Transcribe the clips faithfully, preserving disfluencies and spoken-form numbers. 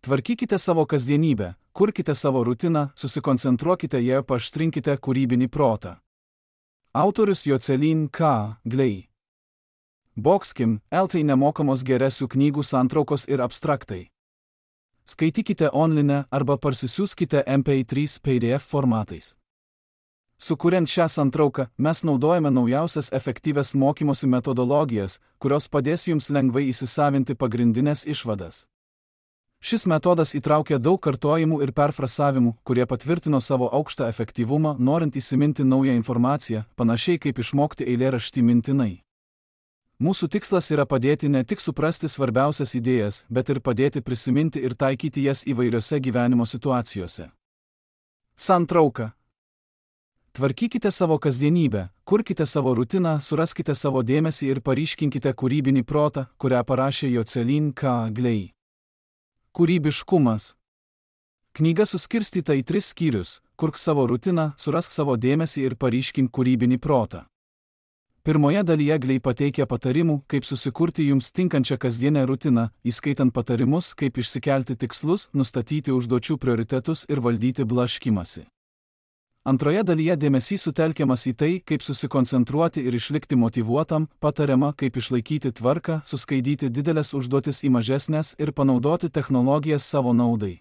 Tvarkykite savo kasdienybę, kurkite savo rutiną, susikoncentruokite ją, paaštrinkite kūrybinį protą. Autorius Jocelyn K. Glei. Boxkim, eltai nemokamos geresių knygų santraukos ir abstraktai. Skaitykite online arba parsisiųskite M P trys P D F formatais. Sukuriant šią santrauką, mes naudojame naujausias efektyvias mokymosi metodologijas, kurios padės jums lengvai įsisavinti pagrindinės išvadas. Šis metodas įtraukia daug kartojimų ir perfrasavimų, kurie patvirtino savo aukštą efektyvumą, norint įsiminti naują informaciją, panašiai kaip išmokti eilėraštį mintinai. Mūsų tikslas yra padėti ne tik suprasti svarbiausias idėjas, bet ir padėti prisiminti ir taikyti jas įvairiose gyvenimo situacijose. Santrauka. Tvarkykite savo kasdienybę, kurkite savo rutiną, suraskite savo dėmesį ir paryškinkite kūrybinį protą, kurią parašė Jocelyn K. Glei. Kūrybiškumas. Knyga suskirstyta į tris skyrius: kurk savo rutiną, surask savo dėmesį ir paryškink kūrybinį protą. Pirmoje dalyje Glei pateikia patarimų, kaip susikurti jums tinkančią kasdienę rutiną, įskaitant patarimus, kaip išsikelti tikslus, nustatyti užduočių prioritetus ir valdyti blaškymąsi. Antroje dalyje dėmesys sutelkiamas į tai, kaip susikoncentruoti ir išlikti motyvuotam, patariama, kaip išlaikyti tvarką, suskaidyti didelės užduotis į mažesnės ir panaudoti technologijas savo naudai.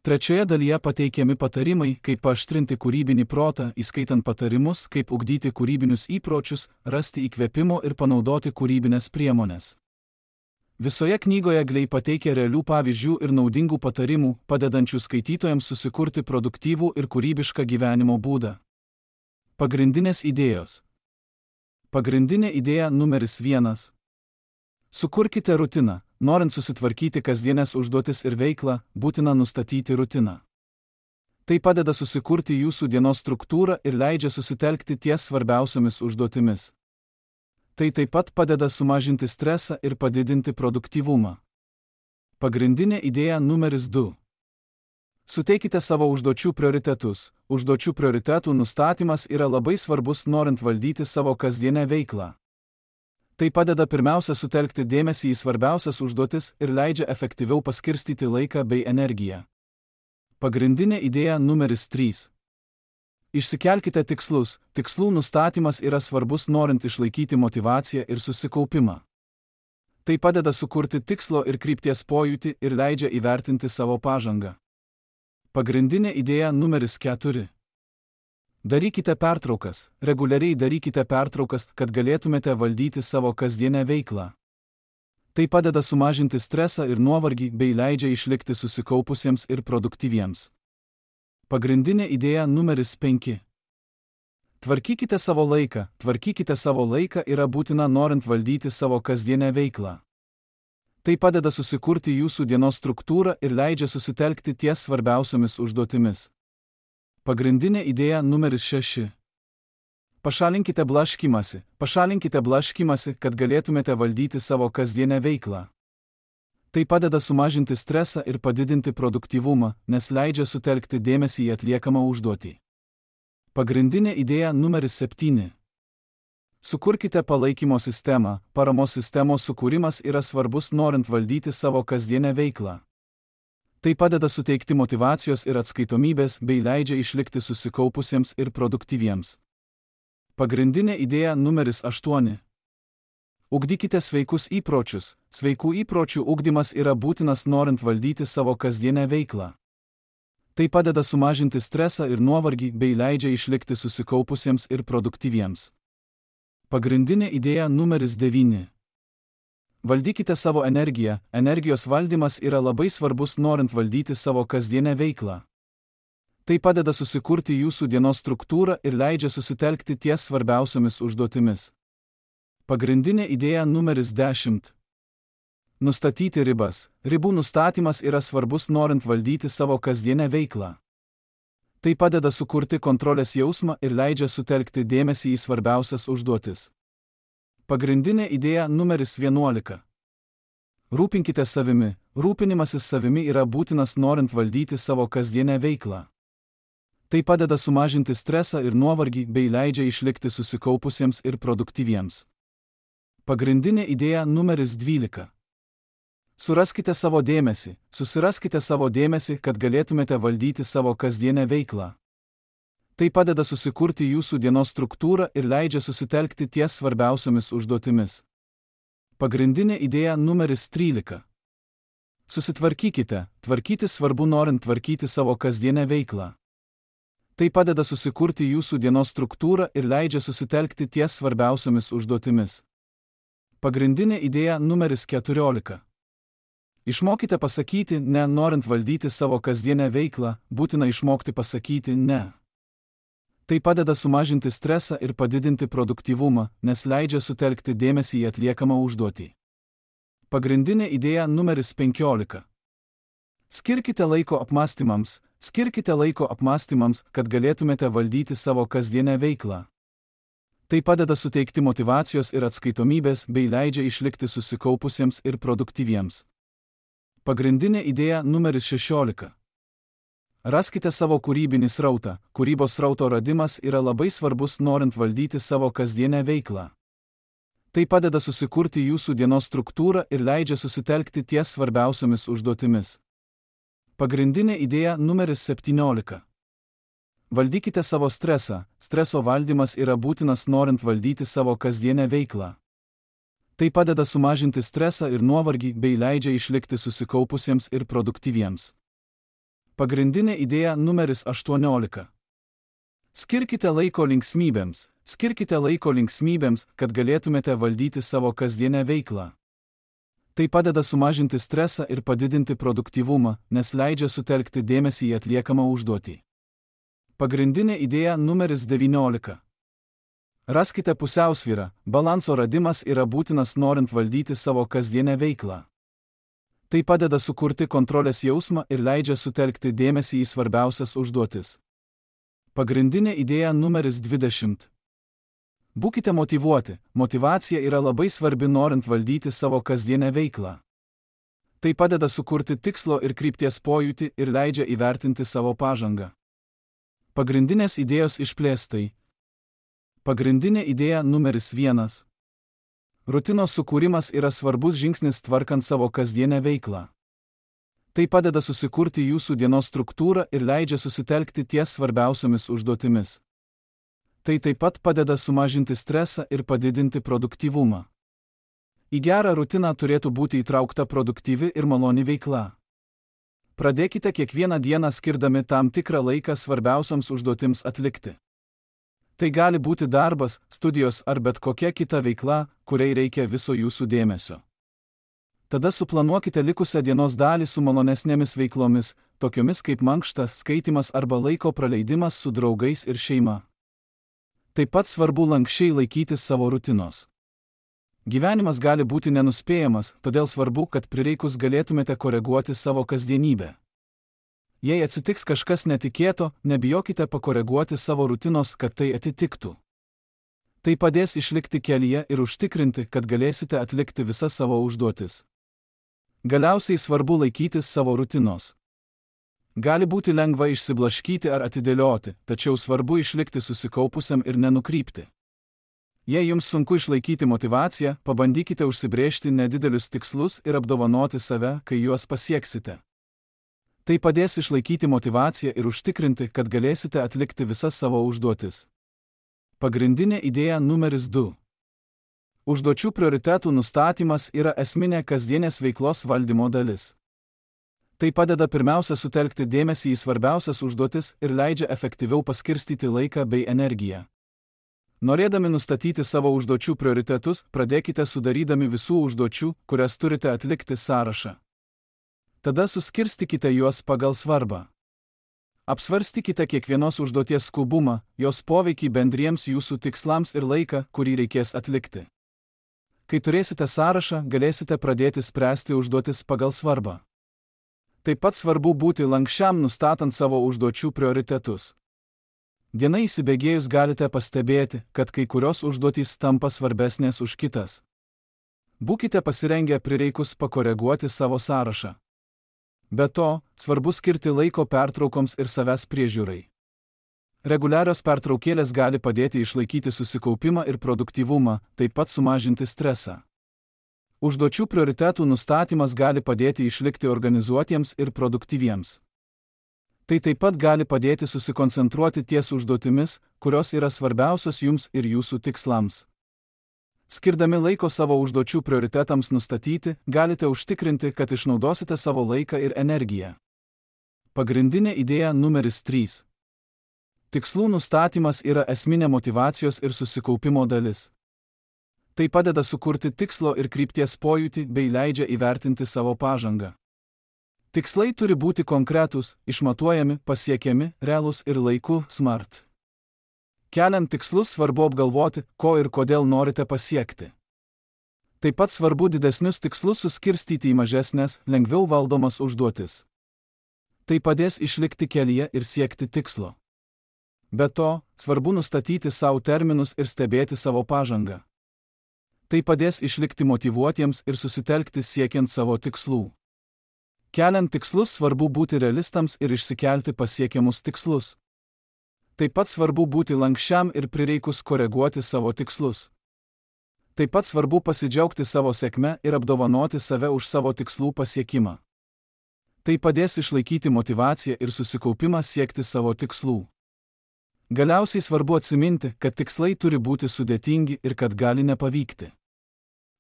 Trečioje dalyje pateikiami patarimai, kaip paaštrinti kūrybinį protą, įskaitant patarimus, kaip ugdyti kūrybinius įpročius, rasti įkvėpimo ir panaudoti kūrybinės priemonės. Visoje knygoje Glei pateikia realių pavyzdžių ir naudingų patarimų, padedančių skaitytojams susikurti produktyvų ir kūrybišką gyvenimo būdą. Pagrindinės idėjos. Pagrindinė idėja numeris vienas. Sukurkite rutiną. Norint susitvarkyti kasdienės užduotis ir veiklą, būtina nustatyti rutiną. Tai padeda susikurti jūsų dienos struktūrą ir leidžia susitelkti ties svarbiausiomis užduotimis. Tai taip pat padeda sumažinti stresą ir padidinti produktyvumą. Pagrindinė idėja numeris du. Suteikite savo užduočių prioritetus. Užduočių prioritetų nustatymas yra labai svarbus, norint valdyti savo kasdienę veiklą. Tai padeda pirmiausia sutelkti dėmesį į svarbiausias užduotis ir leidžia efektyviau paskirstyti laiką bei energiją. Pagrindinė idėja numeris trys. Išsikelkite tikslus. Tikslų nustatymas yra svarbus, norint išlaikyti motyvaciją ir susikaupimą. Tai padeda sukurti tikslo ir krypties pojūtį ir leidžia įvertinti savo pažangą. Pagrindinė idėja numeris keturi. Darykite pertraukas. Reguliariai darykite pertraukas, kad galėtumėte valdyti savo kasdienę veiklą. Tai padeda sumažinti stresą ir nuovargį bei leidžia išlikti susikaupusiems ir produktyviems. Pagrindinė idėja numeris penki. Tvarkykite savo laiką. Tvarkykite savo laiką yra būtina, norint valdyti savo kasdienę veiklą. Tai padeda susikurti jūsų dienos struktūrą ir leidžia susitelkti ties svarbiausiomis užduotimis. Pagrindinė idėja numeris šeši. Pašalinkite blaškymąsi. Pašalinkite blaškymąsi, kad galėtumėte valdyti savo kasdienę veiklą. Tai padeda sumažinti stresą ir padidinti produktyvumą, nes leidžia sutelkti dėmesį į atliekamą užduotį. Pagrindinė idėja numeris septyni. Sukurkite palaikymo sistemą. Paramos sistemos sukūrimas yra svarbus, norint valdyti savo kasdienę veiklą. Tai padeda suteikti motyvacijos ir atskaitomybės bei leidžia išlikti susikaupusiems ir produktyviems. Pagrindinė idėja numeris aštuoni. Ugdykite sveikus įpročius. Sveikų įpročių ugdymas yra būtinas, norint valdyti savo kasdienę veiklą. Tai padeda sumažinti stresą ir nuovargį bei leidžia išlikti susikaupusiems ir produktyviems. Pagrindinė idėja numeris devyni. Valdykite savo energiją. Energijos valdymas yra labai svarbus, norint valdyti savo kasdienę veiklą. Tai padeda susikurti jūsų dienos struktūrą ir leidžia susitelkti ties svarbiausiomis užduotimis. Pagrindinė idėja numeris dešimt. Nustatyti ribas. Ribų nustatymas yra svarbus, norint valdyti savo kasdienę veiklą. Tai padeda sukurti kontrolės jausmą ir leidžia sutelkti dėmesį į svarbiausias užduotis. Pagrindinė idėja numeris vienuolika. Rūpinkite savimi. Rūpinimasis savimi yra būtinas, norint valdyti savo kasdienę veiklą. Tai padeda sumažinti stresą ir nuovargį bei leidžia išlikti susikaupusiems ir produktyviems. Pagrindinė idėja numeris dvylika. Suraskite savo dėmesį, susiraskite savo dėmesį, kad galėtumėte valdyti savo kasdienę veiklą. Tai padeda susikurti jūsų dienos struktūrą ir leidžia susitelkti ties svarbiausiomis užduotimis. Pagrindinė idėja numeris trylika. Susitvarkykite, tvarkyti svarbu norint tvarkyti savo kasdienę veiklą. Tai padeda susikurti jūsų dienos struktūrą ir leidžia susitelkti ties svarbiausiomis užduotimis. Pagrindinė idėja numeris keturiolika. Išmokite pasakyti ne, norint valdyti savo kasdienę veiklą, būtina išmokti pasakyti ne. Tai padeda sumažinti stresą ir padidinti produktyvumą, nes leidžia sutelkti dėmesį į atliekamą užduotį. Pagrindinė idėja numeris penkiolika. Skirkite laiko apmąstymams, skirkite laiko apmąstymams, kad galėtumėte valdyti savo kasdienę veiklą. Tai padeda suteikti motyvacijos ir atskaitomybės bei leidžia išlikti susikaupusiems ir produktyviems. Pagrindinė idėja numeris šešiolika. Raskite savo kūrybinį srautą. Kūrybos srauto radimas yra labai svarbus norint valdyti savo kasdienę veiklą. Tai padeda susikurti jūsų dienos struktūrą ir leidžia susitelkti ties svarbiausiomis užduotimis. Pagrindinė idėja numeris septyniolika. Valdykite savo stresą. Streso valdymas yra būtinas norint valdyti savo kasdienę veiklą. Tai padeda sumažinti stresą ir nuovargį bei leidžia išlikti susikaupusiems ir produktyviems. Pagrindinė idėja numeris aštuoniolika. Skirkite laiko linksmybėms, skirkite laiko linksmybėms, kad galėtumėte valdyti savo kasdienę veiklą. Tai padeda sumažinti stresą ir padidinti produktyvumą, nes leidžia sutelkti dėmesį į atliekamą užduotį. Pagrindinė idėja numeris devyniolika. Raskite pusiausvyrą, balanso radimas yra būtinas norint valdyti savo kasdienę veiklą. Tai padeda sukurti kontrolės jausmą ir leidžia sutelkti dėmesį į svarbiausias užduotis. Pagrindinė idėja numeris dvidešimt. Būkite motyvuoti, motyvacija yra labai svarbi norint valdyti savo kasdienę veiklą. Tai padeda sukurti tikslo ir krypties pojūtį ir leidžia įvertinti savo pažangą. Pagrindinės idėjos išplėstai. Pagrindinė idėja numeris vienas. Rutinos sukūrimas yra svarbus žingsnis tvarkant savo kasdienę veiklą. Tai padeda susikurti jūsų dienos struktūrą ir leidžia susitelkti ties svarbiausiomis užduotimis. Tai taip pat padeda sumažinti stresą ir padidinti produktyvumą. Į gerą rutiną turėtų būti įtraukta produktyvi ir maloni veikla. Pradėkite kiekvieną dieną skirdami tam tikrą laiką svarbiausioms užduotims atlikti. Tai gali būti darbas, studijos ar bet kokia kita veikla, kuriai reikia viso jūsų dėmesio. Tada suplanuokite likusią dienos dalį su malonesnėmis veiklomis, tokiomis kaip mankšta, skaitimas arba laiko praleidimas su draugais ir šeima. Taip pat svarbu lankščiai laikytis savo rutinos. Gyvenimas gali būti nenuspėjamas, todėl svarbu, kad prireikus galėtumėte koreguoti savo kasdienybę. Jei atsitiks kažkas netikėto, nebijokite pakoreguoti savo rutinos, kad tai atitiktų. Tai padės išlikti kelyje ir užtikrinti, kad galėsite atlikti visas savo užduotis. Galiausiai svarbu laikytis savo rutinos. Gali būti lengva išsiblaškyti ar atidėlioti, tačiau svarbu išlikti susikaupusiam ir nenukrypti. Jei jums sunku išlaikyti motyvaciją, pabandykite užsibrėžti nedidelius tikslus ir apdovanoti save, kai juos pasieksite. Tai padės išlaikyti motyvaciją ir užtikrinti, kad galėsite atlikti visas savo užduotis. Pagrindinė idėja numeris du. Užduočių prioritetų nustatymas yra esminė kasdienės veiklos valdymo dalis. Tai padeda pirmiausia sutelkti dėmesį į svarbiausias užduotis ir leidžia efektyviau paskirstyti laiką bei energiją. Norėdami nustatyti savo užduočių prioritetus, pradėkite sudarydami visų užduočių, kurias turite atlikti sąrašą. Tada suskirstykite juos pagal svarbą. Apsvarstykite kiekvienos užduoties skubumą, jos poveikį bendriems jūsų tikslams ir laiką, kurį reikės atlikti. Kai turėsite sąrašą, galėsite pradėti spręsti užduotis pagal svarbą. Taip pat svarbu būti lankščiam nustatant savo užduočių prioritetus. Diena įsibėgėjus galite pastebėti, kad kai kurios užduotys tampa svarbesnės už kitas. Būkite pasirengę prireikus pakoreguoti savo sąrašą. Be to, svarbu skirti laiko pertraukoms ir savęs priežiūrai. Reguliarios pertraukėlės gali padėti išlaikyti susikaupimą ir produktyvumą, taip pat sumažinti stresą. Užduočių prioritetų nustatymas gali padėti išlikti organizuotiems ir produktyviems. Tai taip pat gali padėti susikoncentruoti ties užduotimis, kurios yra svarbiausios jums ir jūsų tikslams. Skirdami laiko savo užduočių prioritetams nustatyti, galite užtikrinti, kad išnaudosite savo laiką ir energiją. Pagrindinė idėja numeris trys. Tikslų nustatymas yra esminė motyvacijos ir susikaupimo dalis. Tai padeda sukurti tikslo ir krypties pojūtį bei leidžia įvertinti savo pažangą. Tikslai turi būti konkretūs, išmatuojami, pasiekiami, realūs ir laiku smart. Keliant tikslus svarbu apgalvoti, ko ir kodėl norite pasiekti. Taip pat svarbu didesnius tikslus suskirstyti į mažesnės, lengviau valdomas užduotis. Tai padės išlikti kelyje ir siekti tikslo. Be to, svarbu nustatyti savo terminus ir stebėti savo pažangą. Tai padės išlikti motyvuotiems ir susitelkti siekiant savo tikslų. Keliant tikslus svarbu būti realistams ir išsikelti pasiekiamus tikslus. Taip pat svarbu būti lankščiam ir prireikus koreguoti savo tikslus. Taip pat svarbu pasidžiaugti savo sėkme ir apdovanoti save už savo tikslų pasiekimą. Tai padės išlaikyti motyvaciją ir susikaupimą siekti savo tikslų. Galiausiai svarbu atsiminti, kad tikslai turi būti sudėtingi ir kad gali nepavykti.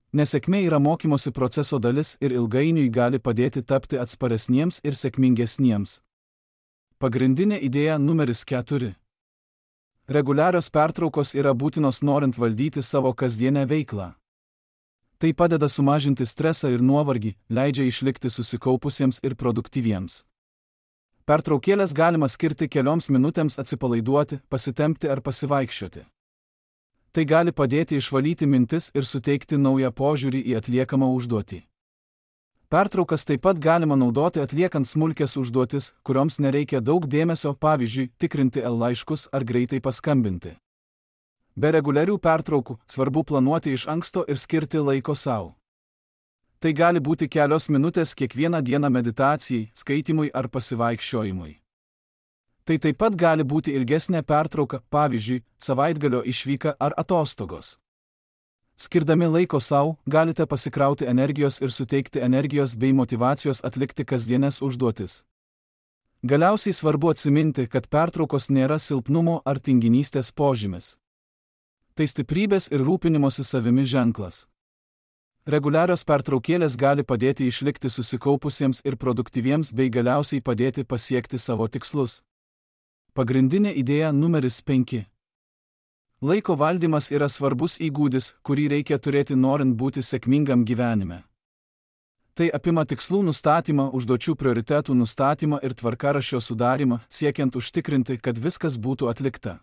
Nesėkmė yra mokymosi proceso dalis ir ilgainiui gali padėti tapti atsparesniems ir sėkmingesniems. Pagrindinė idėja numeris keturi. Reguliarios pertraukos yra būtinos norint valdyti savo kasdienę veiklą. Tai padeda sumažinti stresą ir nuovargį, leidžia išlikti susikaupusiems ir produktyviems. Pertraukėlės galima skirti kelioms minutėms atsipalaiduoti, pasitempti ar pasivaikščioti. Tai gali padėti išvalyti mintis ir suteikti naują požiūrį į atliekamą užduotį. Pertraukas taip pat galima naudoti atliekant smulkias užduotis, kurioms nereikia daug dėmesio, pavyzdžiui, tikrinti e-laiškus ar greitai paskambinti. Be reguliarių pertraukų svarbu planuoti iš anksto ir skirti laiko sau. Tai gali būti kelios minutės kiekvieną dieną meditacijai, skaitymui ar pasivaikščiojimui. Tai taip pat gali būti ilgesnė pertrauka, pavyzdžiui, savaitgalio išvyka ar atostogos. Skirdami laiko sau, galite pasikrauti energijos ir suteikti energijos bei motyvacijos atlikti kasdienes užduotis. Galiausiai svarbu atsiminti, kad pertraukos nėra silpnumo ar tinginystės požymis. Tai stiprybės ir rūpinimosi savimi ženklas. Reguliarios pertraukėlės gali padėti išlikti susikaupusiems ir produktyviems bei galiausiai padėti pasiekti savo tikslus. Pagrindinė idėja numeris penki. Laiko valdymas yra svarbus įgūdis, kurį reikia turėti norint būti sėkmingam gyvenime. Tai apima tikslų nustatymą, užduočių prioritetų nustatymą ir tvarkaraščio sudarymą, siekiant užtikrinti, kad viskas būtų atlikta.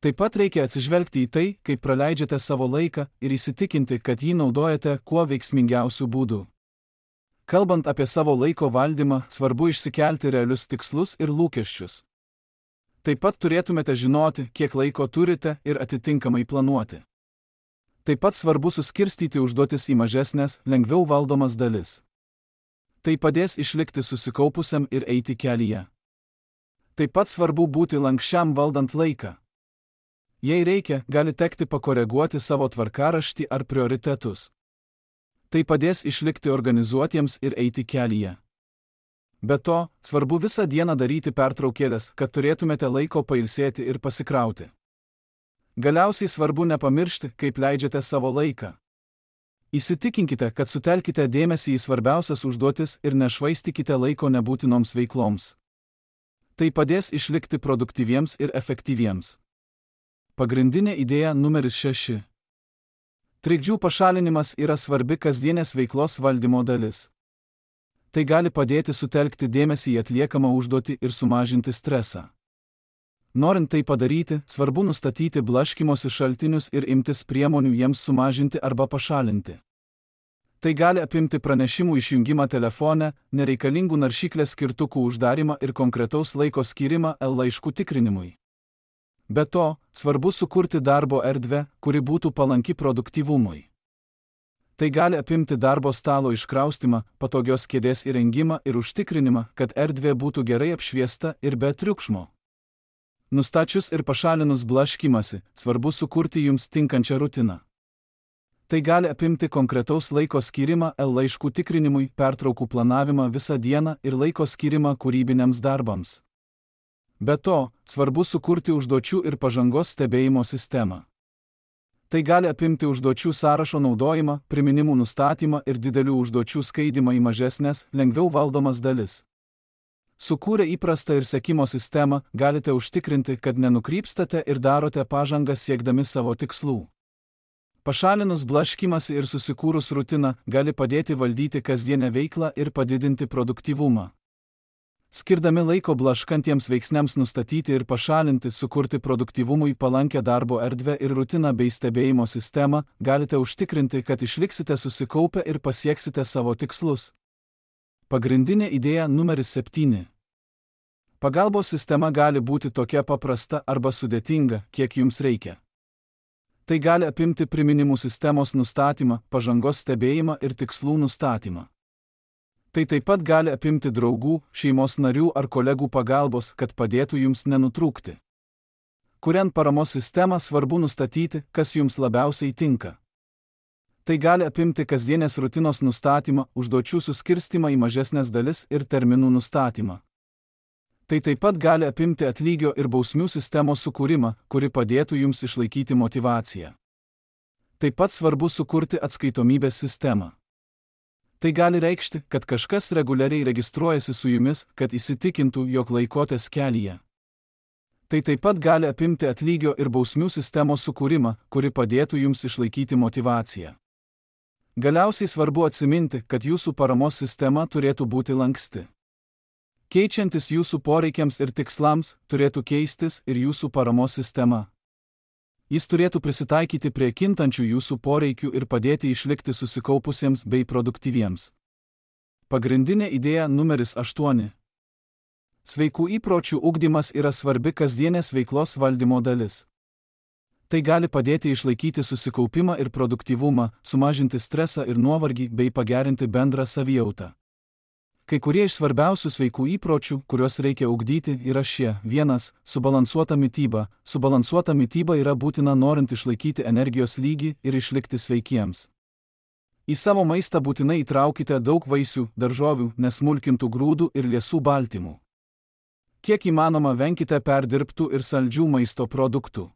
Taip pat reikia atsižvelgti į tai, kaip praleidžiate savo laiką ir įsitikinti, kad jį naudojate kuo veiksmingiausių būdų. Kalbant apie savo laiko valdymą, svarbu išsikelti realius tikslus ir lūkesčius. Taip pat turėtumėte žinoti, kiek laiko turite ir atitinkamai planuoti. Taip pat svarbu suskirstyti užduotis į mažesnės, lengviau valdomas dalis. Tai padės išlikti susikaupusiam ir eiti kelyje. Taip pat svarbu būti lankščiam valdant laiką. Jei reikia, gali tekti pakoreguoti savo tvarkaraštį ar prioritetus. Tai padės išlikti organizuotiems ir eiti kelyje. Be to, svarbu visą dieną daryti pertraukėlės, kad turėtumėte laiko pailsėti ir pasikrauti. Galiausiai svarbu nepamiršti, kaip leidžiate savo laiką. Įsitikinkite, kad sutelkite dėmesį į svarbiausias užduotis ir nešvaistykite laiko nebūtinoms veikloms. Tai padės išlikti produktyviems ir efektyviems. Pagrindinė idėja numeris šeši. Trikdžių pašalinimas yra svarbi kasdienės veiklos valdymo dalis. Tai gali padėti sutelkti dėmesį į atliekamą užduotį ir sumažinti stresą. Norint tai padaryti, svarbu nustatyti blaškymosi šaltinius ir imtis priemonių jiems sumažinti arba pašalinti. Tai gali apimti pranešimų išjungimą telefone, nereikalingų naršyklės skirtukų uždarimą ir konkretaus laiko skyrimą e-laiškų tikrinimui. Be to, svarbu sukurti darbo erdvę, kuri būtų palanki produktyvumui. Tai gali apimti darbo stalo iškraustimą, patogios kėdės įrengimą ir užtikrinimą, kad erdvė būtų gerai apšviesta ir be triukšmo. Nustačius ir pašalinus blaškymąsi, svarbu sukurti jums tinkančią rutiną. Tai gali apimti konkretaus laiko skyrimą laiškų tikrinimui, pertraukų planavimą visą dieną ir laiko skyrimą kūrybiniams darbams. Be to, svarbu sukurti užduočių ir pažangos stebėjimo sistemą. Tai gali apimti užduočių sąrašo naudojimą, priminimų nustatymą ir didelių užduočių skaidymą į mažesnės, lengviau valdomas dalis. Sukūrę įprastą ir sekimo sistemą, galite užtikrinti, kad nenukrypstate ir darote pažangą siekdami savo tikslų. Pašalinus blaškymąsi ir susikūrus rutiną, gali padėti valdyti kasdienę veiklą ir padidinti produktyvumą. Skirdami laiko blaškantiems veiksniams nustatyti ir pašalinti, sukurti produktyvumui palankę darbo erdvę ir rutiną bei stebėjimo sistemą, galite užtikrinti, kad išliksite susikaupę ir pasieksite savo tikslus. Pagrindinė idėja numeris septyni. Pagalbos sistema gali būti tokia paprasta arba sudėtinga, kiek jums reikia. Tai gali apimti priminimų sistemos nustatymą, pažangos stebėjimą ir tikslų nustatymą. Tai taip pat gali apimti draugų, šeimos narių ar kolegų pagalbos, kad padėtų jums nenutrūkti. Kuriant paramos sistemą, svarbu nustatyti, kas jums labiausiai tinka. Tai gali apimti kasdienės rutinos nustatymą, užduočių suskirstimą į mažesnės dalis ir terminų nustatymą. Tai taip pat gali apimti atlygio ir bausmių sistemos sukūrimą, kuri padėtų jums išlaikyti motyvaciją. Taip pat svarbu sukurti atskaitomybės sistemą. Tai gali reikšti, kad kažkas reguliariai registruojasi su jumis, kad įsitikintų, jog laikotės kelyje. Tai taip pat gali apimti atlygio ir bausmių sistemos sukūrimą, kuri padėtų jums išlaikyti motyvaciją. Galiausiai svarbu atsiminti, kad jūsų paramos sistema turėtų būti lanksti. Keičiantis jūsų poreikiams ir tikslams, turėtų keistis ir jūsų paramos sistema. Jis turėtų prisitaikyti prie kintančių jūsų poreikių ir padėti išlikti susikaupusiems bei produktyviems. Pagrindinė idėja numeris aštuoni. Sveikų įpročių ugdymas yra svarbi kasdienės veiklos valdymo dalis. Tai gali padėti išlaikyti susikaupimą ir produktyvumą, sumažinti stresą ir nuovargį bei pagerinti bendrą savijautą. Kai kurie iš svarbiausių sveikų įpročių, kuriuos reikia ugdyti, yra šie. vienas. Subalansuota mityba. Subalansuota mityba yra būtina norint išlaikyti energijos lygį ir išlikti sveikiems. Į savo maistą būtinai įtraukite daug vaisių, daržovių, nesmulkintų grūdų ir liesų baltymų. Kiek įmanoma venkite perdirbtų ir saldžių maisto produktų.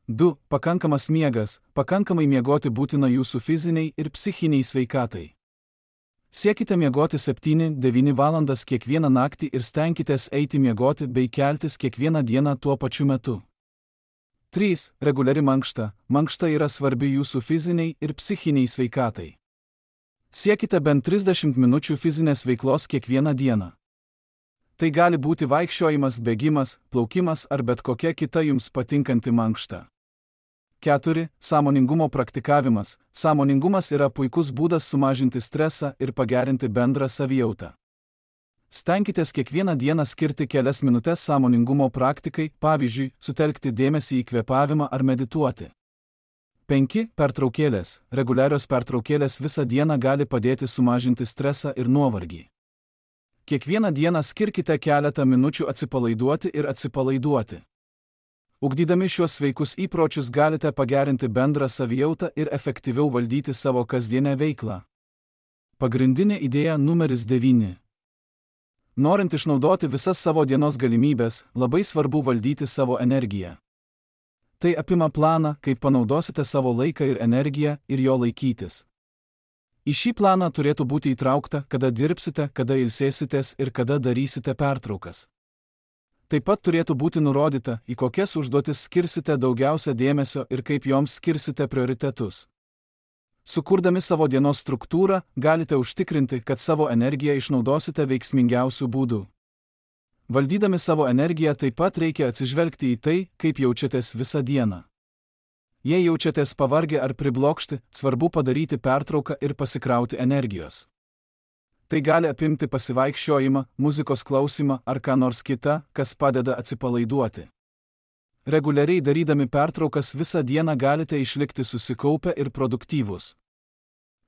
du. Pakankamas miegas. Pakankamai miegoti būtina jūsų fiziniai ir psichiniai sveikatai. Siekite miegoti septynias devynias valandas kiekvieną naktį ir stenkitės eiti miegoti bei keltis kiekvieną dieną tuo pačiu metu. trys. Reguliari mankšta. Mankšta yra svarbi jūsų fiziniai ir psichiniai sveikatai. Siekite bent trisdešimt minučių fizinės veiklos kiekvieną dieną. Tai gali būti vaikščiojimas, bėgimas, plaukimas ar bet kokia kita jums patinkanti mankšta. keturi. Sąmoningumo praktikavimas. Sąmoningumas yra puikus būdas sumažinti stresą ir pagerinti bendrą savijautą. Stenkitės kiekvieną dieną skirti kelias minutės sąmoningumo praktikai, pavyzdžiui, sutelkti dėmesį į kvėpavimą ar medituoti. penki. Pertraukėlės. Reguliarios pertraukėlės visą dieną gali padėti sumažinti stresą ir nuovargį. Kiekvieną dieną skirkite keletą minučių atsipalaiduoti ir atsipalaiduoti. Ugdydami šiuos sveikus įpročius galite pagerinti bendrą savijautą ir efektyviau valdyti savo kasdienę veiklą. Pagrindinė idėja numeris devyni. Norint išnaudoti visas savo dienos galimybės, labai svarbu valdyti savo energiją. Tai apima planą, kaip panaudosite savo laiką ir energiją ir jo laikytis. Į šį planą turėtų būti įtraukta, kada dirbsite, kada ilsėsitės ir kada darysite pertraukas. Taip pat turėtų būti nurodyta, į kokias užduotis skirsite daugiausia dėmesio ir kaip joms skirsite prioritetus. Sukurdami savo dienos struktūrą, galite užtikrinti, kad savo energiją išnaudosite veiksmingiausių būdų. Valdydami savo energiją taip pat reikia atsižvelgti į tai, kaip jaučiatės visą dieną. Jei jaučiatės pavargę ar priblokšti, svarbu padaryti pertrauką ir pasikrauti energijos. Tai gali apimti pasivaikščiojimą, muzikos klausimą ar ką nors kita, kas padeda atsipalaiduoti. Reguliariai darydami pertraukas visą dieną galite išlikti susikaupę ir produktyvūs.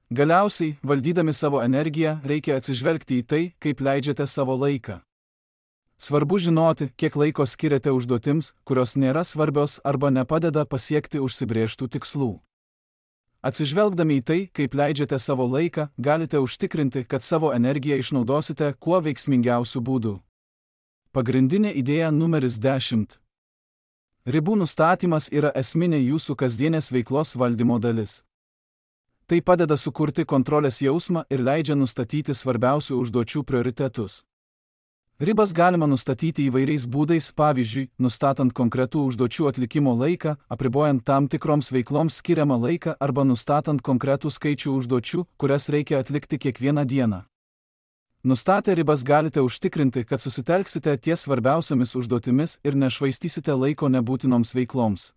Galiausiai, valdydami savo energiją, reikia atsižvelgti į tai, kaip leidžiate savo laiką. Svarbu žinoti, kiek laiko skiriate užduotims, kurios nėra svarbios arba nepadeda pasiekti užsibrėžtų tikslų. Atsižvelgdami į tai, kaip leidžiate savo laiką, galite užtikrinti, kad savo energiją išnaudosite kuo veiksmingiausių būdų. Pagrindinė idėja numeris dešimt. Ribų nustatymas yra esminė jūsų kasdienės veiklos valdymo dalis. Tai padeda sukurti kontrolės jausmą ir leidžia nustatyti svarbiausių užduočių prioritetus. Ribas galima nustatyti įvairiais būdais, pavyzdžiui, nustatant konkretų užduočių atlikimo laiką, apribojant tam tikroms veikloms skiriamą laiką arba nustatant konkretų skaičių užduočių, kurias reikia atlikti kiekvieną dieną. Nustatę ribas galite užtikrinti, kad susitelksite ties svarbiausiamis užduotimis ir nešvaistysite laiko nebūtinoms veikloms.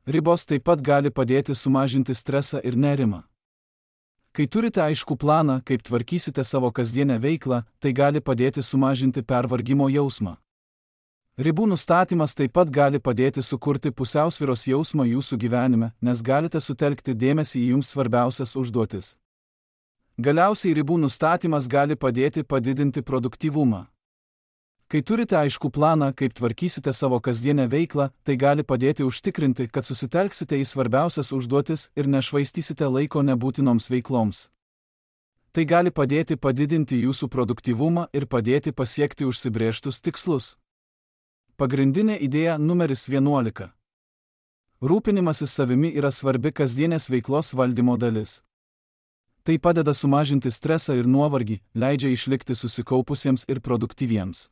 Ribos taip pat gali padėti sumažinti stresą ir nerimą. Kai turite aiškų planą, kaip tvarkysite savo kasdienę veiklą, tai gali padėti sumažinti pervargimo jausmą. Ribų nustatymas taip pat gali padėti sukurti pusiausvyros jausmą jūsų gyvenime, nes galite sutelkti dėmesį į jums svarbiausias užduotis. Galiausiai ribų nustatymas gali padėti padidinti produktyvumą. Kai turite aiškų planą, kaip tvarkysite savo kasdienę veiklą, tai gali padėti užtikrinti, kad susitelksite į svarbiausias užduotis ir nešvaistysite laiko nebūtinoms veikloms. Tai gali padėti padidinti jūsų produktyvumą ir padėti pasiekti užsibrėžtus tikslus. Pagrindinė idėja numeris vienuolika. Rūpinimasis savimi yra svarbi kasdienės veiklos valdymo dalis. Tai padeda sumažinti stresą ir nuovargį, leidžia išlikti susikaupusiems ir produktyviems.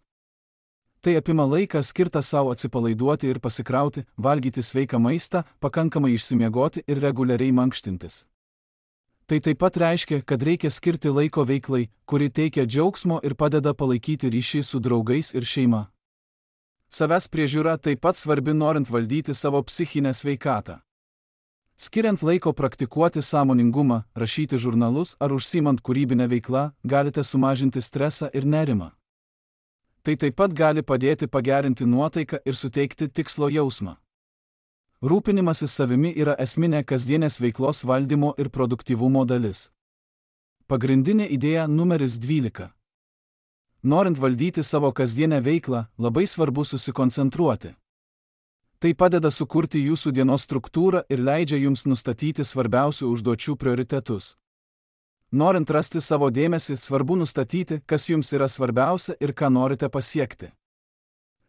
Tai apima laiką skirtą savo atsipalaiduoti ir pasikrauti, valgyti sveiką maistą, pakankamai išsimiegoti ir reguliariai mankštintis. Tai taip pat reiškia, kad reikia skirti laiko veiklai, kuri teikia džiaugsmo ir padeda palaikyti ryšį su draugais ir šeima. Savęs priežiūra taip pat svarbi norint valdyti savo psichinę sveikatą. Skiriant laiko praktikuoti sąmoningumą, rašyti žurnalus ar užsiimant kūrybinę veiklą, galite sumažinti stresą ir nerimą. Tai taip pat gali padėti pagerinti nuotaiką ir suteikti tikslo jausmą. Rūpinimasis savimi yra esminė kasdienės veiklos valdymo ir produktyvumo dalis. Pagrindinė idėja numeris dvylika. Norint valdyti savo kasdienę veiklą, labai svarbu susikoncentruoti. Tai padeda sukurti jūsų dienos struktūrą ir leidžia jums nustatyti svarbiausių užduočių prioritetus. Norint rasti savo dėmesį, svarbu nustatyti, kas jums yra svarbiausia ir ką norite pasiekti.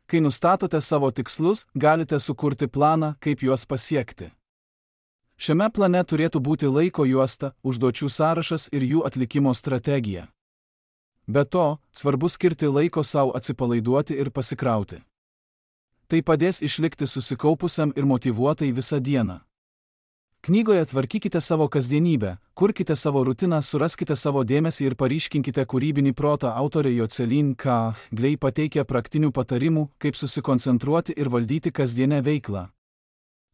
Kai nustatote savo tikslus, galite sukurti planą, kaip juos pasiekti. Šiame plane turėtų būti laiko juosta, užduočių sąrašas ir jų atlikimo strategija. Be to, svarbu skirti laiko savo atsipalaiduoti ir pasikrauti. Tai padės išlikti susikaupusiam ir motyvuotai visą dieną. Knygoje Tvarkykite savo kasdienybę, kurkite savo rutiną, suraskite savo dėmesį ir paryškinkite kūrybinį protą autorė Jocelyn K. Glei pateikia praktinių patarimų, kaip susikoncentruoti ir valdyti kasdienę veiklą.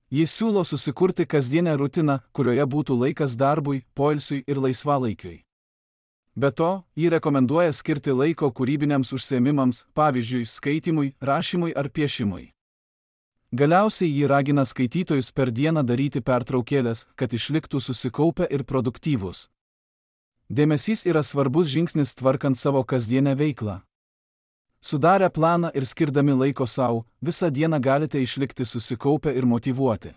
Jis siūlo susikurti kasdienę rutiną, kurioje būtų laikas darbui, poilsiui ir laisvalaikiui. Be to, ji rekomenduoja skirti laiko kūrybiniams užsiėmimams, pavyzdžiui, skaitymui, rašymui ar piešimui. Galiausiai ji ragina skaitytojus per dieną daryti pertraukėlės, kad išliktų susikaupę ir produktyvūs. Dėmesys yra svarbus žingsnis tvarkant savo kasdienę veiklą. Sudarę planą ir skirdami laiko savo, visą dieną galite išlikti susikaupę ir motyvuoti.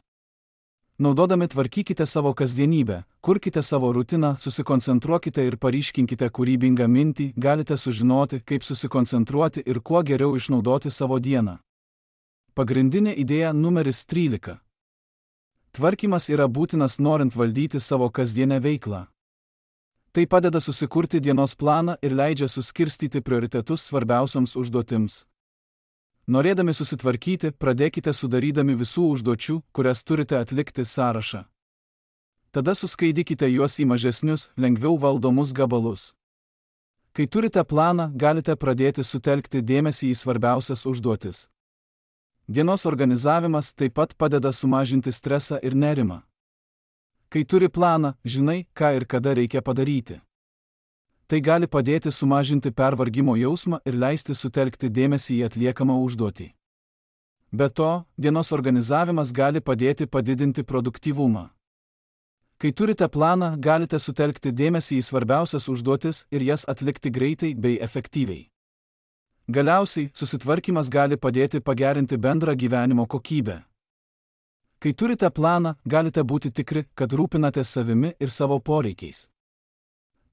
Naudodami Tvarkykite savo kasdienybę, kurkite savo rutiną, susikoncentruokite ir paryškinkite kūrybingą mintį, galite sužinoti, kaip susikoncentruoti ir kuo geriau išnaudoti savo dieną. Pagrindinė idėja numeris trylika. Tvarkymas yra būtinas norint valdyti savo kasdienę veiklą. Tai padeda susikurti dienos planą ir leidžia suskirstyti prioritetus svarbiausioms užduotims. Norėdami susitvarkyti, pradėkite sudarydami visų užduočių, kurias turite atlikti sąrašą. Tada suskaidykite juos į mažesnius, lengviau valdomus gabalus. Kai turite planą, galite pradėti sutelkti dėmesį į svarbiausias užduotis. Dienos organizavimas taip pat padeda sumažinti stresą ir nerimą. Kai turi planą, žinai, ką ir kada reikia padaryti. Tai gali padėti sumažinti pervargimo jausmą ir leisti sutelkti dėmesį į atliekamą užduotį. Be to, dienos organizavimas gali padėti padidinti produktyvumą. Kai turite planą, galite sutelkti dėmesį į svarbiausias užduotis ir jas atlikti greitai bei efektyviai. Galiausiai, susitvarkymas gali padėti pagerinti bendrą gyvenimo kokybę. Kai turite planą, galite būti tikri, kad rūpinatės savimi ir savo poreikiais.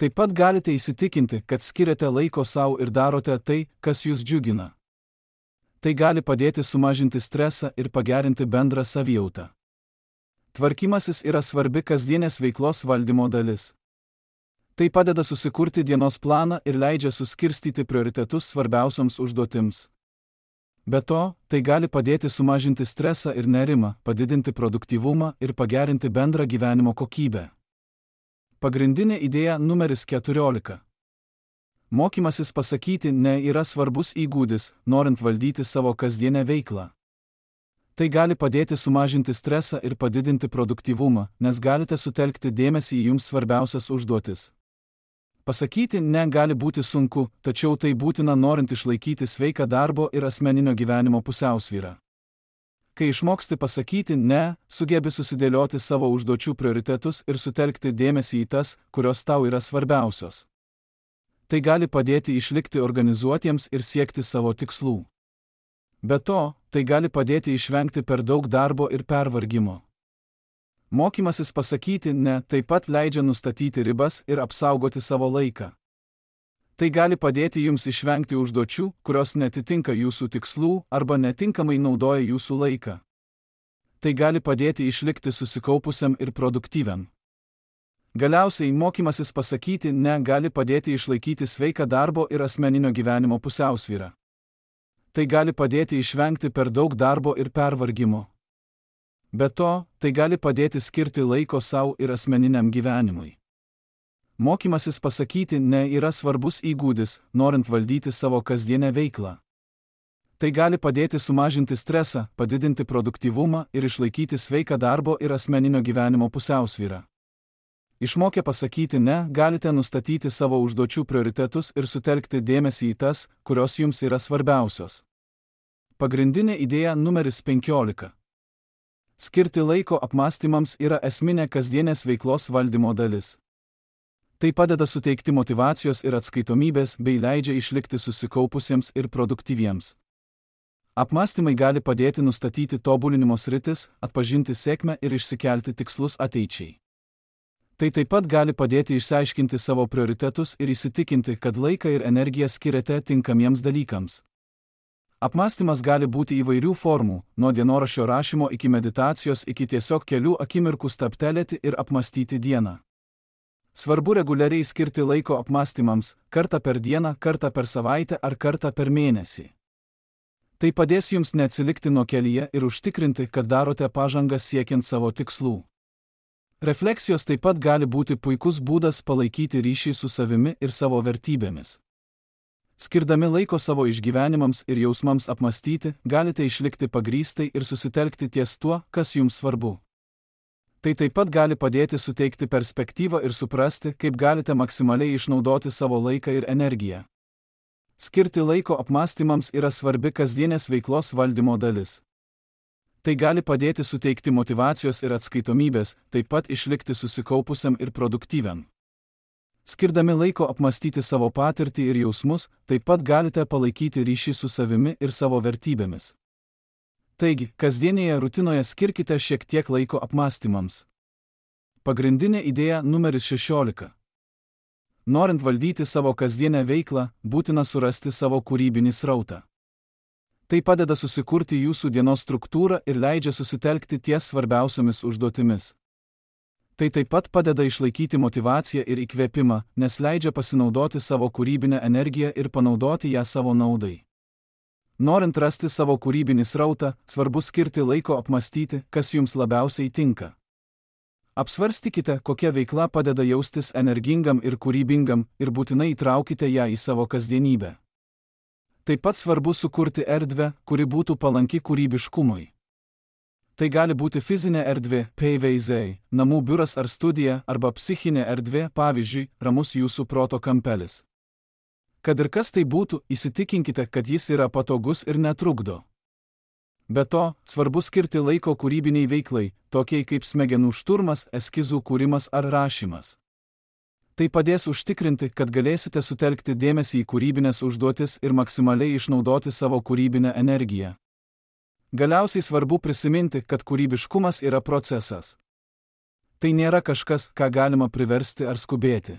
Taip pat galite įsitikinti, kad skiriate laiko savo ir darote tai, kas jūs džiugina. Tai gali padėti sumažinti stresą ir pagerinti bendrą savijautą. Tvarkymasis yra svarbi kasdienės veiklos valdymo dalis. Tai padeda susikurti dienos planą ir leidžia suskirstyti prioritetus svarbiausioms užduotims. Be to, tai gali padėti sumažinti stresą ir nerimą, padidinti produktyvumą ir pagerinti bendrą gyvenimo kokybę. Pagrindinė idėja numeris keturiolika. Mokymasis pasakyti ne yra svarbus įgūdis, norint valdyti savo kasdienę veiklą. Tai gali padėti sumažinti stresą ir padidinti produktyvumą, nes galite sutelkti dėmesį į jums svarbiausias užduotis. Pasakyti ne gali būti sunku, tačiau tai būtina norint išlaikyti sveiką darbo ir asmeninio gyvenimo pusiausvyrą. Kai išmoksti pasakyti ne, sugebi susidėlioti savo užduočių prioritetus ir sutelkti dėmesį į tas, kurios tau yra svarbiausios. Tai gali padėti išlikti organizuotiems ir siekti savo tikslų. Be to, tai gali padėti išvengti per daug darbo ir pervargimo. Mokymasis pasakyti ne taip pat leidžia nustatyti ribas ir apsaugoti savo laiką. Tai gali padėti jums išvengti užduočių, kurios netitinka jūsų tikslų arba netinkamai naudoja jūsų laiką. Tai gali padėti išlikti susikaupusiam ir produktyviam. Galiausiai mokymasis pasakyti ne gali padėti išlaikyti sveiką darbo ir asmeninio gyvenimo pusiausvyrą. Tai gali padėti išvengti per daug darbo ir pervargimo. Be to, tai gali padėti skirti laiko savo ir asmeniniam gyvenimui. Mokymasis pasakyti ne yra svarbus įgūdis, norint valdyti savo kasdienę veiklą. Tai gali padėti sumažinti stresą, padidinti produktyvumą ir išlaikyti sveiką darbo ir asmeninio gyvenimo pusiausvyrą. Išmokę pasakyti ne, galite nustatyti savo užduočių prioritetus ir sutelkti dėmesį į tas, kurios jums yra svarbiausios. Pagrindinė idėja numeris penkiolika. Skirti laiko apmąstymams yra esminė kasdienės veiklos valdymo dalis. Tai padeda suteikti motyvacijos ir atskaitomybės bei leidžia išlikti susikaupusiems ir produktyviems. Apmąstymai gali padėti nustatyti tobulinimo sritis, atpažinti sėkmę ir išsikelti tikslus ateičiai. Tai taip pat gali padėti išsiaiškinti savo prioritetus ir įsitikinti, kad laiką ir energiją skiriate tinkamiems dalykams. Apmąstymas gali būti įvairių formų, nuo dienoraščio rašymo iki meditacijos iki tiesiog kelių akimirkų stabtelėti ir apmąstyti dieną. Svarbu reguliariai skirti laiko apmąstymams, kartą per dieną, kartą per savaitę ar kartą per mėnesį. Tai padės jums neatsilikti nuo kelyje ir užtikrinti, kad darote pažangą siekiant savo tikslų. Refleksijos taip pat gali būti puikus būdas palaikyti ryšį su savimi ir savo vertybėmis. Skirdami laiko savo išgyvenimams ir jausmams apmąstyti, galite išlikti pagrįstai ir susitelkti ties tuo, kas jums svarbu. Tai taip pat gali padėti suteikti perspektyvą ir suprasti, kaip galite maksimaliai išnaudoti savo laiką ir energiją. Skirti laiko apmąstymams yra svarbi kasdienės veiklos valdymo dalis. Tai gali padėti suteikti motyvacijos ir atskaitomybės, taip pat išlikti susikaupusiam ir produktyviam. Skirdami laiko apmąstyti savo patirtį ir jausmus, taip pat galite palaikyti ryšį su savimi ir savo vertybėmis. Taigi, kasdienėje rutinoje skirkite šiek tiek laiko apmąstymams. Pagrindinė idėja numeris šešiolika. Norint valdyti savo kasdienę veiklą, būtina surasti savo kūrybinį srautą. Tai padeda susikurti jūsų dienos struktūrą ir leidžia susitelkti ties svarbiausiomis užduotimis. Tai taip pat padeda išlaikyti motyvaciją ir įkvėpimą, nes leidžia pasinaudoti savo kūrybinę energiją ir panaudoti ją savo naudai. Norint rasti savo kūrybinį srautą, svarbu skirti laiko apmąstyti, kas jums labiausiai tinka. Apsvarstykite, kokia veikla padeda jaustis energingam ir kūrybingam ir būtinai įtraukite ją į savo kasdienybę. Taip pat svarbu sukurti erdvę, kuri būtų palanki kūrybiškumui. Tai gali būti fizinė erdvė, paveiziai, namų biuras ar studija, arba psichinė erdvė, pavyzdžiui, ramus jūsų proto kampelis. Kad ir kas tai būtų, įsitikinkite, kad jis yra patogus ir netrukdo. Be to, svarbu skirti laiko kūrybiniai veiklai, tokiai kaip smegenų šturmas, eskizų kūrimas ar rašymas. Tai padės užtikrinti, kad galėsite sutelkti dėmesį į kūrybinės užduotis ir maksimaliai išnaudoti savo kūrybinę energiją. Galiausiai svarbu prisiminti, kad kūrybiškumas yra procesas. Tai nėra kažkas, ką galima priversti ar skubėti.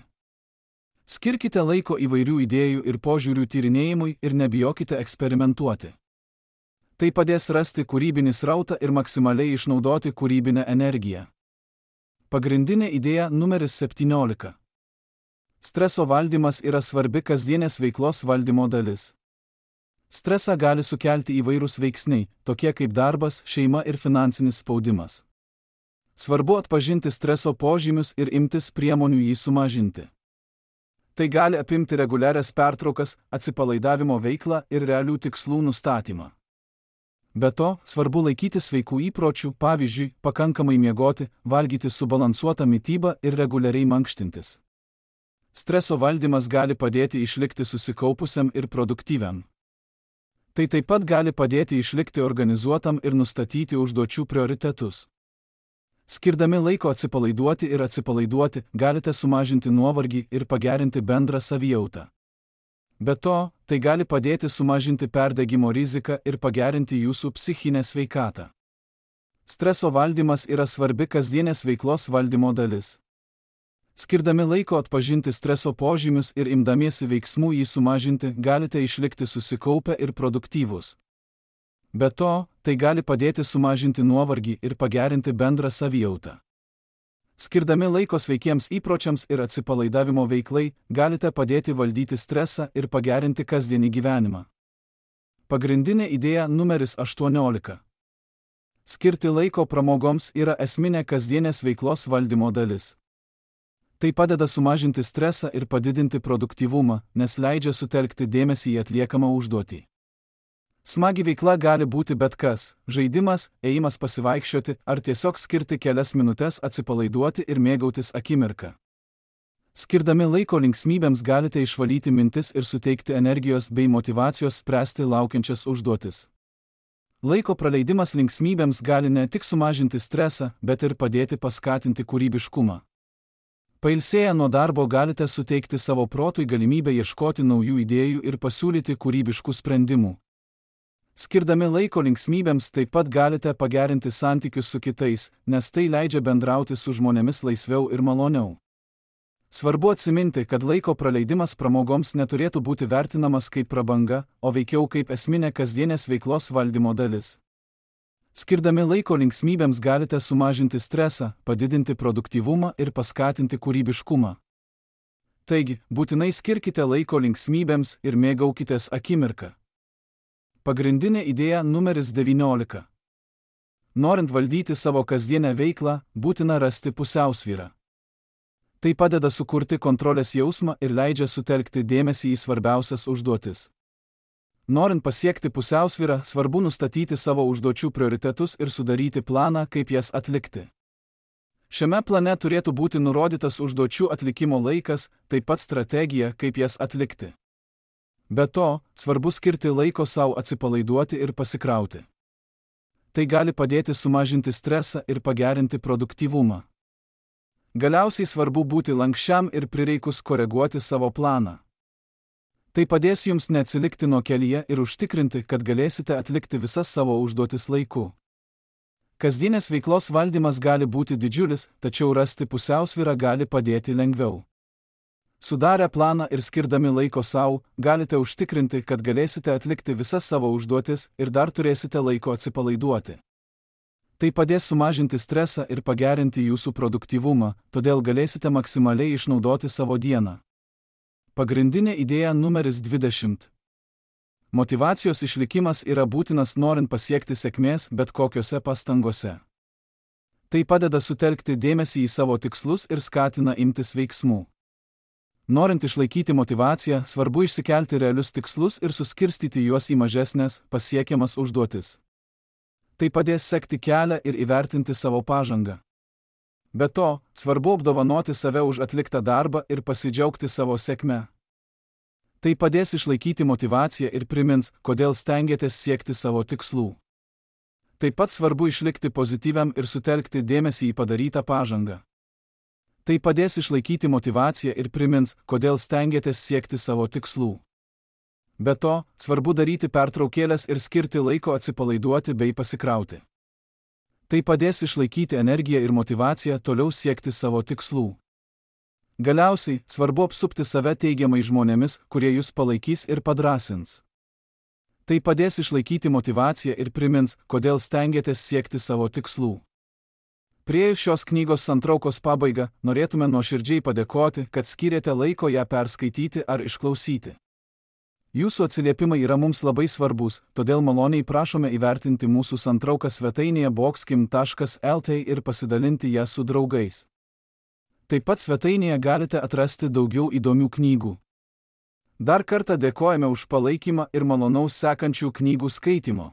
Skirkite laiko įvairių idėjų ir požiūrių tyrinėjimui ir nebijokite eksperimentuoti. Tai padės rasti kūrybinį srautą ir maksimaliai išnaudoti kūrybinę energiją. Pagrindinė idėja numeris septyniolika. Streso valdymas yra svarbi kasdienės veiklos valdymo dalis. Stresą gali sukelti įvairūs veiksniai, tokie kaip darbas, šeima ir finansinis spaudimas. Svarbu atpažinti streso požymius ir imtis priemonių jį sumažinti. Tai gali apimti reguliarias pertraukas, atsipalaidavimo veiklą ir realių tikslų nustatymą. Be to, svarbu laikytis sveikų įpročių, pavyzdžiui, pakankamai miegoti, valgyti subalansuotą mitybą ir reguliariai mankštintis. Streso valdymas gali padėti išlikti susikaupusiam ir produktyviam. Tai taip pat gali padėti išlikti organizuotam ir nustatyti užduočių prioritetus. Skirdami laiko atsipalaiduoti ir atsipalaiduoti, galite sumažinti nuovargį ir pagerinti bendrą savijautą. Be to, tai gali padėti sumažinti perdegimo riziką ir pagerinti jūsų psichinę sveikatą. Streso valdymas yra svarbi kasdienės veiklos valdymo dalis. Skirdami laiko atpažinti streso požymius ir imdamiesi veiksmų jį sumažinti, galite išlikti susikaupę ir produktyvūs. Be to, tai gali padėti sumažinti nuovargį ir pagerinti bendrą savijautą. Skirdami laiko sveikiems įpročiams ir atsipalaidavimo veiklai, galite padėti valdyti stresą ir pagerinti kasdienį gyvenimą. Pagrindinė idėja numeris aštuoniolika. Skirti laiko pramogoms yra esminė kasdienės veiklos valdymo dalis. Tai padeda sumažinti stresą ir padidinti produktyvumą, nes leidžia sutelkti dėmesį į atliekamą užduotį. Smagi veikla gali būti bet kas – žaidimas, ėjimas pasivaikščioti ar tiesiog skirti kelias minutes atsipalaiduoti ir mėgautis akimirką. Skirdami laiko linksmybėms galite išvalyti mintis ir suteikti energijos bei motyvacijos spręsti laukiančias užduotis. Laiko praleidimas linksmybėms gali ne tik sumažinti stresą, bet ir padėti paskatinti kūrybiškumą. Pailsėję nuo darbo galite suteikti savo protui galimybę ieškoti naujų idėjų ir pasiūlyti kūrybiškų sprendimų. Skirdami laiko linksmybėms taip pat galite pagerinti santykius su kitais, nes tai leidžia bendrauti su žmonėmis laisviau ir maloniau. Svarbu atsiminti, kad laiko praleidimas pramogoms neturėtų būti vertinamas kaip prabanga, o veikiau kaip esminė kasdienės veiklos valdymo dalis. Skirdami laiko linksmybėms galite sumažinti stresą, padidinti produktyvumą ir paskatinti kūrybiškumą. Taigi, būtinai skirkite laiko linksmybėms ir mėgaukitės akimirką. Pagrindinė idėja numeris devyniolika. Norint valdyti savo kasdienę veiklą, būtina rasti pusiausvyrą. Tai padeda sukurti kontrolės jausmą ir leidžia sutelkti dėmesį į svarbiausias užduotis. Norint pasiekti pusiausvyrą, svarbu nustatyti savo užduočių prioritetus ir sudaryti planą, kaip jas atlikti. Šiame plane turėtų būti nurodytas užduočių atlikimo laikas, taip pat strategija, kaip jas atlikti. Be to, svarbu skirti laiko sau atsipalaiduoti ir pasikrauti. Tai gali padėti sumažinti stresą ir pagerinti produktyvumą. Galiausiai svarbu būti lanksčiam ir prireikus koreguoti savo planą. Tai padės jums neatsilikti nuo kelyje ir užtikrinti, kad galėsite atlikti visas savo užduotis laiku. Kasdienės veiklos valdymas gali būti didžiulis, tačiau rasti pusiausvyrą gali padėti lengviau. Sudarę planą ir skirdami laiko sau, galite užtikrinti, kad galėsite atlikti visas savo užduotis ir dar turėsite laiko atsipalaiduoti. Tai padės sumažinti stresą ir pagerinti jūsų produktyvumą, todėl galėsite maksimaliai išnaudoti savo dieną. Pagrindinė idėja numeris dvidešimt. Motyvacijos išlikimas yra būtinas norint pasiekti sėkmės bet kokiose pastangose. Tai padeda sutelkti dėmesį į savo tikslus ir skatina imtis veiksmų. Norint išlaikyti motyvaciją, svarbu išsikelti realius tikslus ir suskirstyti juos į mažesnės, pasiekiamas užduotis. Tai padės sekti kelią ir įvertinti savo pažangą. Be to, svarbu apdovanoti save už atliktą darbą ir pasidžiaugti savo sėkme. Tai padės išlaikyti motyvaciją ir primins, kodėl stengiatės siekti savo tikslų. Taip pat svarbu išlikti pozityviam ir sutelkti dėmesį į padarytą pažangą. Tai padės išlaikyti motyvaciją ir primins, kodėl stengiatės siekti savo tikslų. Be to, svarbu daryti pertraukėles ir skirti laiko atsipalaiduoti bei pasikrauti. Tai padės išlaikyti energiją ir motyvaciją toliau siekti savo tikslų. Galiausiai, svarbu apsupti save teigiamai žmonėmis, kurie jūs palaikys ir padrąsins. Tai padės išlaikyti motyvaciją ir primins, kodėl stengiatės siekti savo tikslų. Priėjus šios knygos santraukos pabaigą, norėtume nuoširdžiai padėkoti, kad skyrėte laiko ją perskaityti ar išklausyti. Jūsų atsiliepimai yra mums labai svarbus, todėl maloniai prašome įvertinti mūsų santrauką svetainėje boxkim taškas lt ir pasidalinti ją su draugais. Taip pat svetainėje galite atrasti daugiau įdomių knygų. Dar kartą dėkojame už palaikymą ir malonaus sekančių knygų skaitymo.